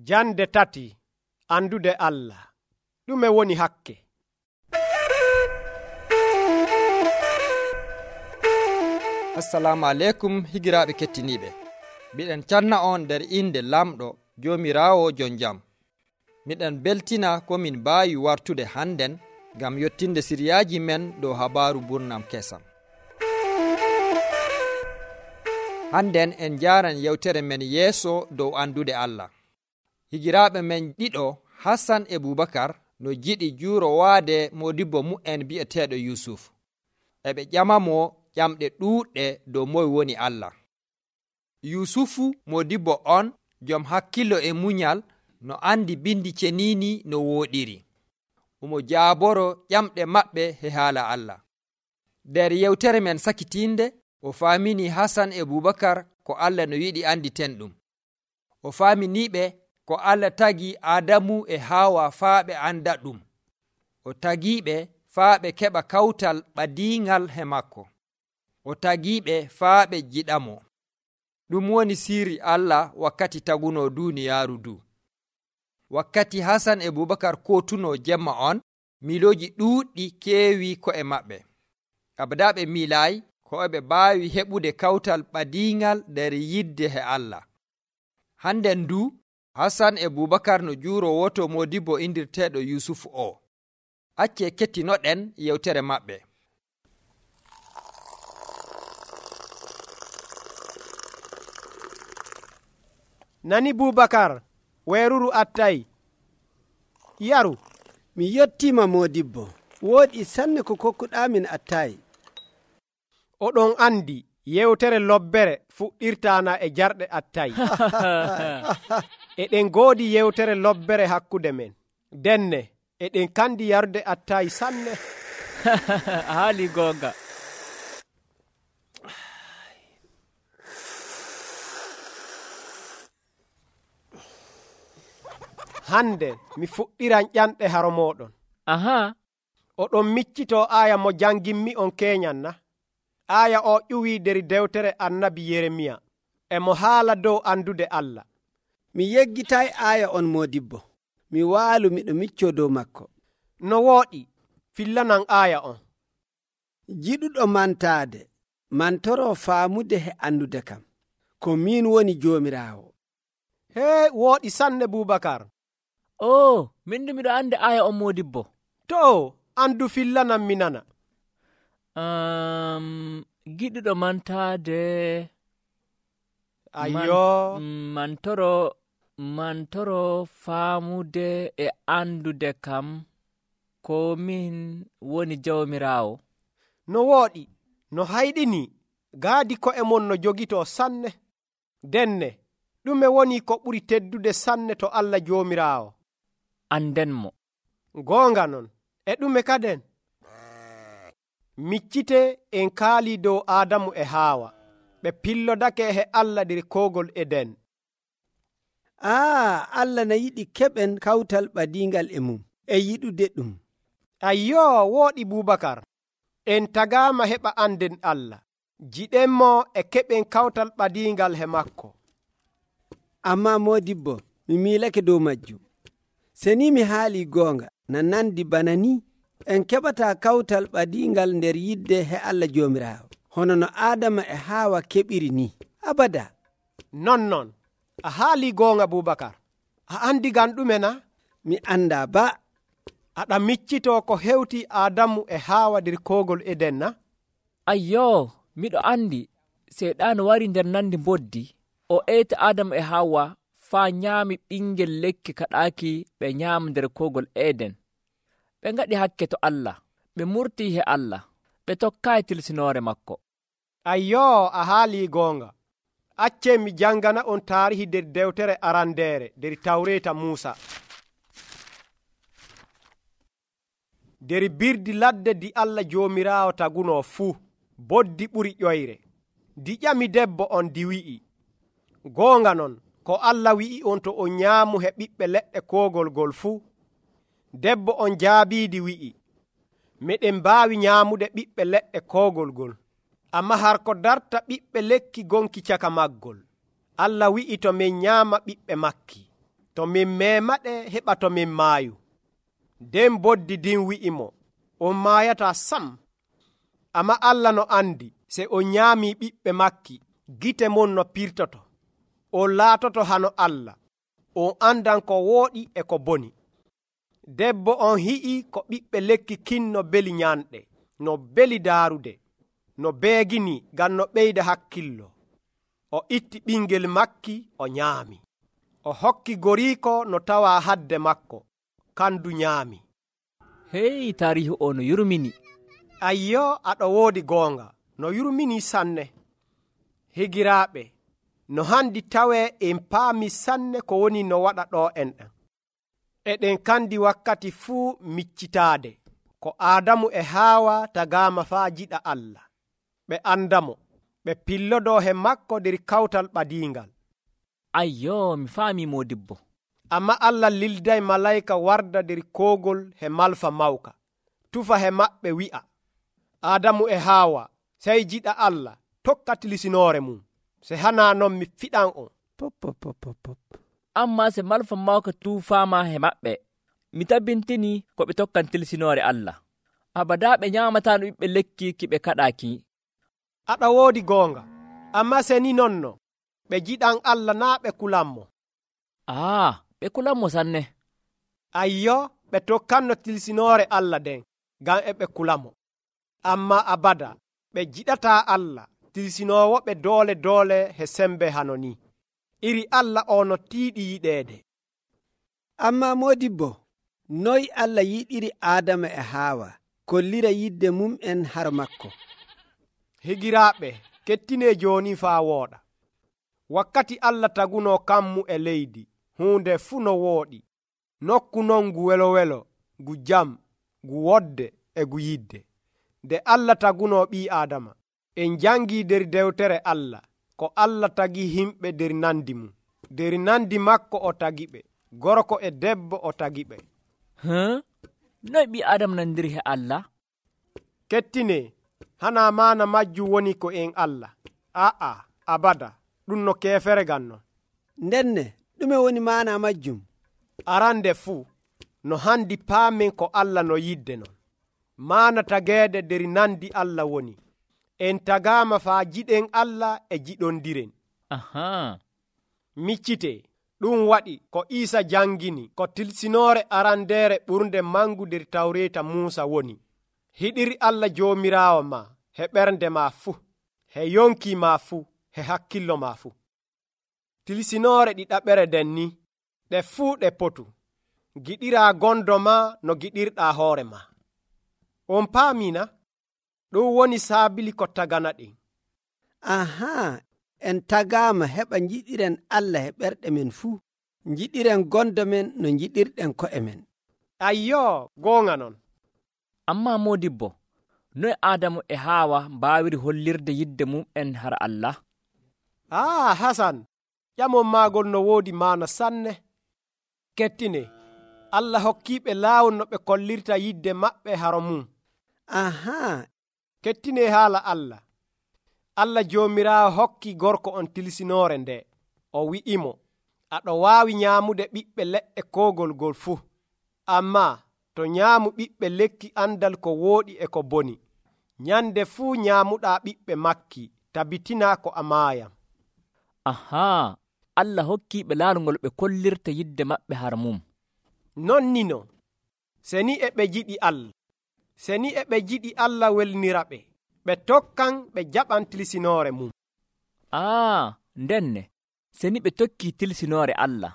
Jande tati, andude Allah. Ɗume woni hakke? Assalamu aleykum higiraaɓe kettiniiɓe. Miɗen canna on nder inde lamɗo Joomiraawo jon jam. Miɗen beltina ko min mbaawi wartude hannden ngam yottinde siriyaaji men dow habaaru burnam kesam. Hannden en njaaran yewtere men yeeso dow andude Allah. Higiraaɓe men ɗiɗo Hassan e Bubakar no jiɗi juuro waade modibbo mu'en bi'eteeɗo Yusuf. Eɓe ƴamamo ƴamɗe ɗuuɗɗe dow moye woni Allah. Yusufu modibbo on jom hakkilo e munyal no andi bindi ceniini no wooɗiri. Omo jaaboro ƴamɗe maɓɓe he haala Allah. Nder yewtere men sakitinde o faamini Hassan e Bubakar ko Allah no yiɗi anditen ɗum. O faaminiɓe ko Allah tagi Adamu e Hawa faa ɓe anda ɗum. O tagiɓe faa ɓe keɓa kawtal ɓadiingal he makko. O tagiɓe faa ɓe jiɗamo. Ɗum woni sirri Allah wakkati taguno duniyaaru du. Wakkati Hassan e Bubakar kotuno jemma on, miloji ɗuuɗɗi keewi ko'e maɓɓe. Abada ɓe miilaayi ko ɓe mbaawi heɓude kawtal ɓadiingal nder yidde he Allah. Handen du Hassan e Bubakar no juuro woto modibbo indirteeɗo Yusufu o. Acce kettinoɗen yewtere maɓɓe. Nani Bubakar, weeruru attay. Yaru. Mi yettima modibbo. Woodi sanne ko kokkuɗamin attay. Oɗon andi yewtere lobbere fuɗɗirtana e jarɗe attay. Eɗen goodi yewtere lobbere hakkude men. Denne eɗen kandi yarude attay sanne. Haali gonga. Hande mi fuɗɗiran ƴanɗe haro moɗon. Aha. Oɗon miccito aya mo jangimmi on keñan na? Aya o ƴuwi der dewtere annabi Yeremiya. Emo haala dow andude Allah. Mi yeggitay aya on modibbo. Mi waalu miɗo micco dow makko. No wooɗi, fillanan aya on. Jiɗuɗo mantaade, mantoro faamude he andude kam. Ko min woni Joomiraawo. Hee, wooɗi sanne Bubakar. Min miɗo andi aya on modibbo. To, andu fillanan mi nana. Giɗuɗo mantaade. Ayyo. Mantoro faamude e andude kam ko min woni Jawmiraawo. No wooɗi, no hayɗini, gaadi ko'e mon no jogito sanne. Denne, ɗume woni ko ɓuri teddude sanne to Allah Joomiraawo? Andenmo. Goonga non, e ɗume kaden? Miccite en kaali dow Adamu e Hawa. Ɓe pillodake he Allah nder koogol Eden. Allah na yiɗi keɓen kawtal ɓadiingal e mum, e yiɗude ɗum. Ayyo, wooɗi Bubakar. En tagaama heɓa anden Allah. Jiɗenmo e keɓen kawtal ɓadiingal he makko. Amma modibbo, mi miilake dow majjum. Seni mi haali goonga, na nandi bana ni, en keɓata kawtal ɓadiingal nder yidde he Allah Joomiraawo, hono no Adama e Hawa keɓiri ni. Abada. Non, a haali goonga Bubakar. A andi gan ɗume na? Mi anda ba. Aɗa miccito ko hewti Adamu e Hawa nder koogol Eden na? Ayyo, miɗo andi. Seyɗaanu wari nder nandi mboddi. O eyti Adamu e Hawa faa nyaami ɓingel lekki kaɗaaki ɓe nyaama nder koogol Eden. Ɓe ngaɗi hakke to Allah. Ɓe murtii he Allah. Ɓe tokkaayi tilsinoore makko. Ayyo, a haali goonga. Acce mi jangana on taarihi nder dewtere arandeere nder Tawreeta Muusa. Der birdi ladde di Allah Joomiraawo taguno fuu, boddi ɓuri ƴoyre. Di ƴami debbo on di wi'i, goonga non, ko Allah wi'i on to on nyaamu he ɓiɓɓe leɗɗe koogol gol fuu. Debbo on jaabiidi wi'i, meɗen mbaawi nyaamude ɓiɓɓe leɗɗe koogol gol, amma har ko darta ɓiɓɓe lekki gonki caka maggol. Allah wi'i to min nyaama ɓiɓɓe makki. to min memaɗe heɓa to min maayu. Nden boddi din wi'imo, on maayataa sam. Amma Allah no andi, se on nyaamii ɓiɓɓe makki, gite mon no pirtoto. On laatoto hano Allah, on andan ko wooɗi e ko boni. Debbo on hi'i ko ɓiɓɓe lekki kin no beli nyanɗe, no beli daarude, no beegini ngam no ɓeyda hakkillo. O itti ɓingel makki o nyaami. O hokki goriiko no tawa hadde makko, kandu nyaami. Hey, tarihi o no yurmini. Ayyo, aɗo woodi goonga, no yurmini sanne. Higiraaɓe, no handi tawee en paami sanne ko woni no waɗa ɗo enɗen. Eɗen kandi wakkati fuu miccitaade ko Aadamu e Haawa tagaama faa jiɗa Allah. Ɓe andamo, ɓe pillodo he makko nder kawtal ɓadiingal. Ayyo, mi faami modibbo. Amma Allah lilday malayka warda nder koogol he malfa mawka, tufa he maɓɓe wi'a, Aadamu e Haawa, sey jiɗa Allah, tokka tilisinoore mum. Se hana non mi fiɗan on. Amma se malfa mawka tuufaama he maɓɓe, mi tabbintini ko ɓe tokkan tilisinoore Allah. Abada ɓe nyaamataano ɓiɓɓe lekki ki ɓe kaɗaaki. Aɗa woodi goonga, amma se ni nonno, ɓe jiɗan Allah naa ɓe kulanmo. Ɓe kulanmo sanne. Ayyo, ɓe tokkanno tilisinoore Allah den, ngam e ɓe kulamo. Amma abada, ɓe jiɗataa Allah, tilisinoowo ɓe doole he sembe hano ni. Iri Allah o no tiiɗi yiɗeede. Amma modibbo, noy Allah yiɗiri Adama e Haawa kollira yidde mum'en har makko? Higiraaɓe, kettine jooni faa wooɗa. Wakkati Allah taguno kammu e leydi, hunde fuu no wooɗi. Nokku non ngu welo, ngu jam, ngu wodde e ngu yidde. Nde Allah taguno ɓii Adama, en jangii nder dewtere Allah, ko Allah tagi himɓe nder nandi mum. Nder nandi makko o tagi ɓe, gorko e debbo o tagi ɓe. Noy ɓii Adama nandiri he Allah? Kettine, hana maana majjum woni ko en Allah. Abada, ɗum no keefere ganno. Ndenne, ɗume woni maana majjum? Arande fuu, no handi paamen ko Allah no yidde non. Maana tageede nder nandi Allah woni. En tagaama faa jiɗen Allah e jiɗondiren. Miccite, ɗum waɗi ko Iisa jangini ko tilsinoore arandeere ɓurnde mangu nder Tawreeta Muusa woni. Hiɗiri Allah Joomiraawo ma he ɓernde ma fuu, he yonki ma fuu, he hakkillo ma fuu. Tilsinoore ɗiɗaɓere den ni, ɗe fuu ɗe potu. Giɗiraa gondo ma no giɗirɗaa hoore ma. On paamina? Ɗum woni saabili ko tagana ɗen. En tagaama heɓa jiɗiren Allah he ɓerɗe men fuu, jiɗiren gondo men no jiɗirɗen ko'e men. Ayyo, goonga non. Amma modibbo, noy Adamu e Haawa mbaawiri hollirde yidde mum'en har Allah? Hasan, ƴamon maagol no woodi maana sanne. Kettine, Allah hokkiiɓe laawol no ɓe kollirta yidde maɓɓe haro mum. Kettine haala Allah. Allah Joomiraawo hokki gorko on tilsinoore nde. O wi'imo, aɗo waawi nyaamude ɓiɓɓe leɗɗe koogol gol fuu. Amma to nyaamu ɓiɓɓe lekki andal ko wooɗi e ko boni. Nyande fuu nyaamuɗaa ɓiɓɓe makki, tabitinaa ko a maayam. Allah hokkiiɓe laawol ngol ɓe kollirta yidde maɓɓe har mum. Non nino, seni e ɓe jiɗi Allah. Seni e ɓe jiɗi Allah welnira ɓe, ɓe tokkan ɓe jaɓan tilsinoore mum. Ndenne, seni ɓe tokki tilsinoore Allah,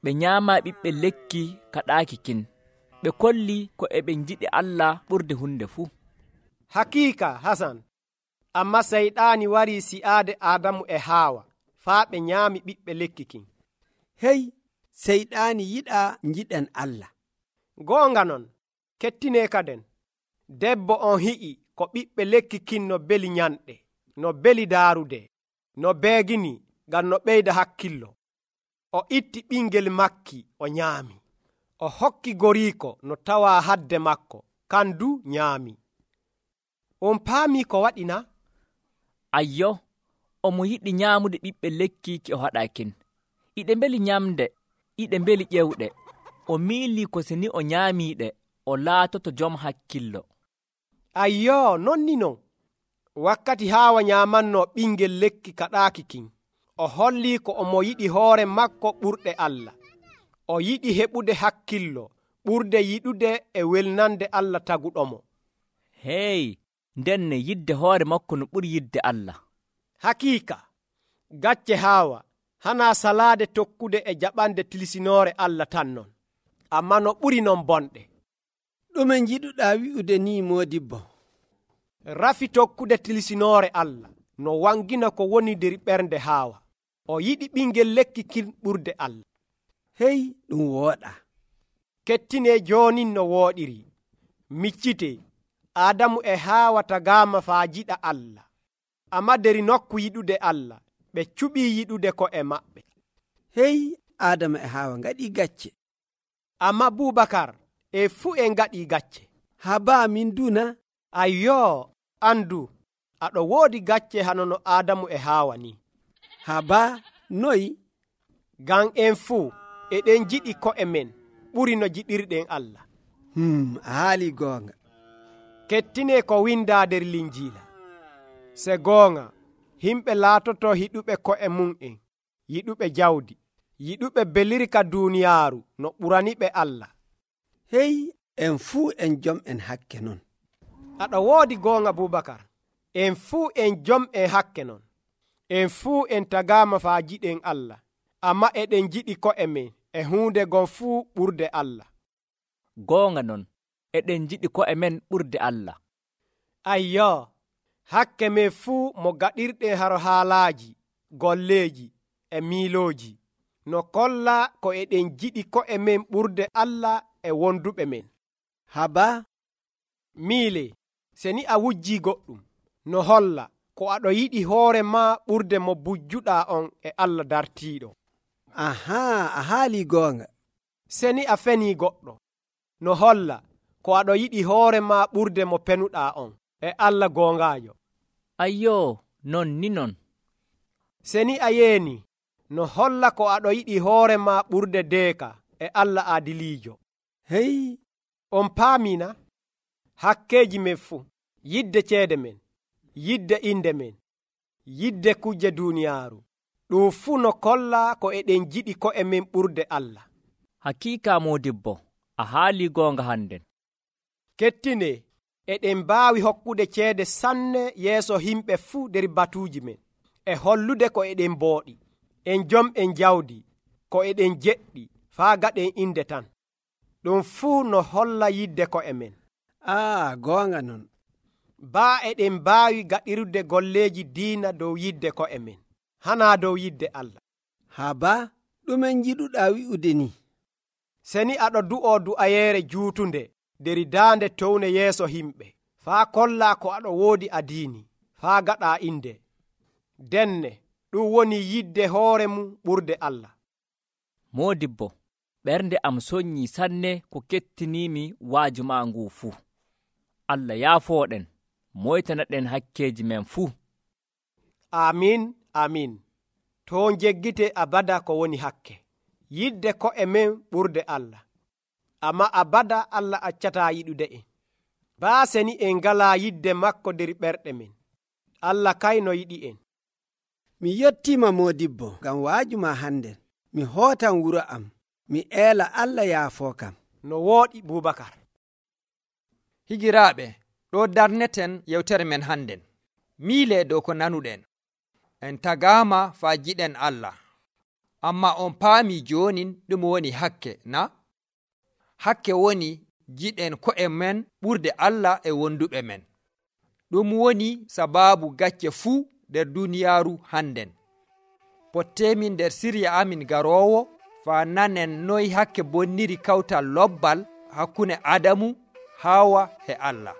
ɓe nyaama ɓiɓɓe lekki kaɗaaki kin, ɓe kolli ko e ɓe jiɗi Allah ɓurde hunde fuu. Hakiika, Hasan, amma seyɗaani warii si'aade Adamu e Haawa, faa ɓe nyaami ɓiɓɓe lekki kin. Hey, seyɗaani yiɗaa jiɗen Allah. Goonga non, kettine kaden, debbo on hi'i ko ɓiɓɓe lekki kin no beli nyanɗe, no beli daarude, no beegini ngam no ɓeyda hakkillo. O itti ɓingel makki o nyaami. O hokki goriiko no tawa hadde makko, kandu nyaami. On paami ko waɗina? Ayyo, omo yiɗi nyaamude ɓiɓɓe lekki ki o haɗakin. Iɗe mbeli nyamde, iɗe mbeli ƴewɗe, o miilii ko seni o nyaamiiɗe, o laatoto jom hakkillo. Ayyoo, non ni non. Wakkati Haawa nyaamanno ɓingel lekki kaɗaaki kin, o hollii ko omo yiɗi hoore makko ɓurɗe Allah. O yiɗi heɓude hakkillo ɓurde yiɗude e welnande Allah taguɗomo. Hey, ndenne yidde hoore makko no ɓuri yidde Allah. Hakiika, gacce Haawa hanaa salaade tokkude e jaɓande tilsinoore Allah tan non, ammaa no ɓuri non bonɗe. ɗume njiɗuɗaa wi'ude ni moodibbo? Rafi tokkude tilsinoore Allah no wangina ko woni nder ɓernde Haawa. O yiɗi ɓingel lekki kin ɓurde Allah. Hey, ɗum wooɗa. Kettine jooni no wooɗiri. Miccite, Adamu e Haawa tagaama faa jiɗa Allah. Amma nder nokku yiɗude Allah, ɓe cuɓii yiɗude ko'e maɓɓe. Hey, Adama e Haawa ngaɗii gacce. Amma Bubakar e fuu en ngaɗii gacce. Habaa min duna? Ayyoo, andu, aɗo woodi gacce hano no Adamu e Haawa ni. Habaa, noyi? Ngam en fuu eɗen jiɗi ko'e men ɓuri no jiɗirɗen Allah. A haalii goonga. Kettine ko windaa nder Linjiila. Se goonga, himɓe laatoto hiɗuɓe ko'e mum'en, yiɗuɓe jawdi, yiɗuɓe belirka duuniyaaru no ɓuraniɓe Allah. Hey, en fuu en jom'en hakke non. Aɗo woodi goonga Bubakar. En fuu en jom'en hakke non. En fuu en tagaama faa jiɗen Allah, amma eɗen jiɗi ko'e men e huunde gon fuu ɓurde Allah. Goonga non, eɗen jiɗi ko'e men ɓurde Allah. Ayyoo, hakke men fuu mo gaɗirɗen haro haalaaji, golleeji e miilooji, no kolla ko eɗen jiɗi ko'e men ɓurde Allah e wonduɓe men. Habaa, miile, seni a wujjii goɗɗum, no holla ko aɗo yiɗi hoore maa ɓurde mo bujjuɗaa on e Allah dartiiɗo. ahaa, a haalii goonga. Seni a fenii goɗɗo, no holla ko aɗo yiɗi hoore maa ɓurde mo penuɗaa on e Allah goongaajo. Ayyoo, non ni non. Seni a yeeni, no holla ko aɗo yiɗi hoore maa ɓurde deeka e Allah aadiliijo. Hey, On paamina hakkeeji men fuu, yidde ceede men, yidde inde men, yidde kujje duuniyaaru, ɗum fuu no kolla ko eɗen jiɗi ko'e men ɓurde Allah. Hakiika moodibbo, a haalii goonga hannden. Kettine, eɗen mbaawi hokkude ceede sanne yeeso himɓe fuu nder batuuji men, e hollude ko eɗen mbooɗi, en jom'en jawdi, ko eɗen jeɗɗi, faa gaɗen inde tan. Ɗum fuu no holla yidde ko'e men. goonga non. Baa eɗen mbaawi gaɗirde golleeji diina dow yidde ko'e men, hanaa dow yidde Allah. Habaa, ɗume njiɗuɗaa wi'ude ni? Seni aɗo du'oo du'ayeere juutunde nder daande towne yeeso himɓe, faa kollaa ko aɗo woodi adiini, faa gaɗaa inde. Denne, ɗum woni yidde hoore mum ɓurde Allah. Moodibbo, ɓernde am soññii sanne ko kettiniimi waaju maa nguu fuu. Allah yaafooɗen, moytanaɗen hakkeeji men fuu. Amin, amin. To jeggite abada ko woni hakke. Yidde ko'e men ɓurde Allah. Amma abada Allah accataa yiɗude en. Baa seni en ngalaa yidde makko nder ɓerɗe men. Allah kayno yiɗi en. Mi yettiima moodibbo ngam waaju ma hannden. Mi hootan wuro am. Mi eela Allah yaafoo kam. No wooɗi Bubakar. Higiraaɓe, ɗo darneten yewtere men hannden. Miile dow ko nanuɗen. En tagaama faa jiɗen Allah. Amma on paami joonin ɗum woni hakke, na? Hakke woni jiɗen ko'e men ɓurde Allah e wonduɓe men. Ɗum woni sabaabu gacce fuu nder duniyaaru hannden. Potteemin nder sirya amin garoowo faa nanen noy hakke bonniri kawtal lobbal hakkunde Adamu, Haawa e Allah.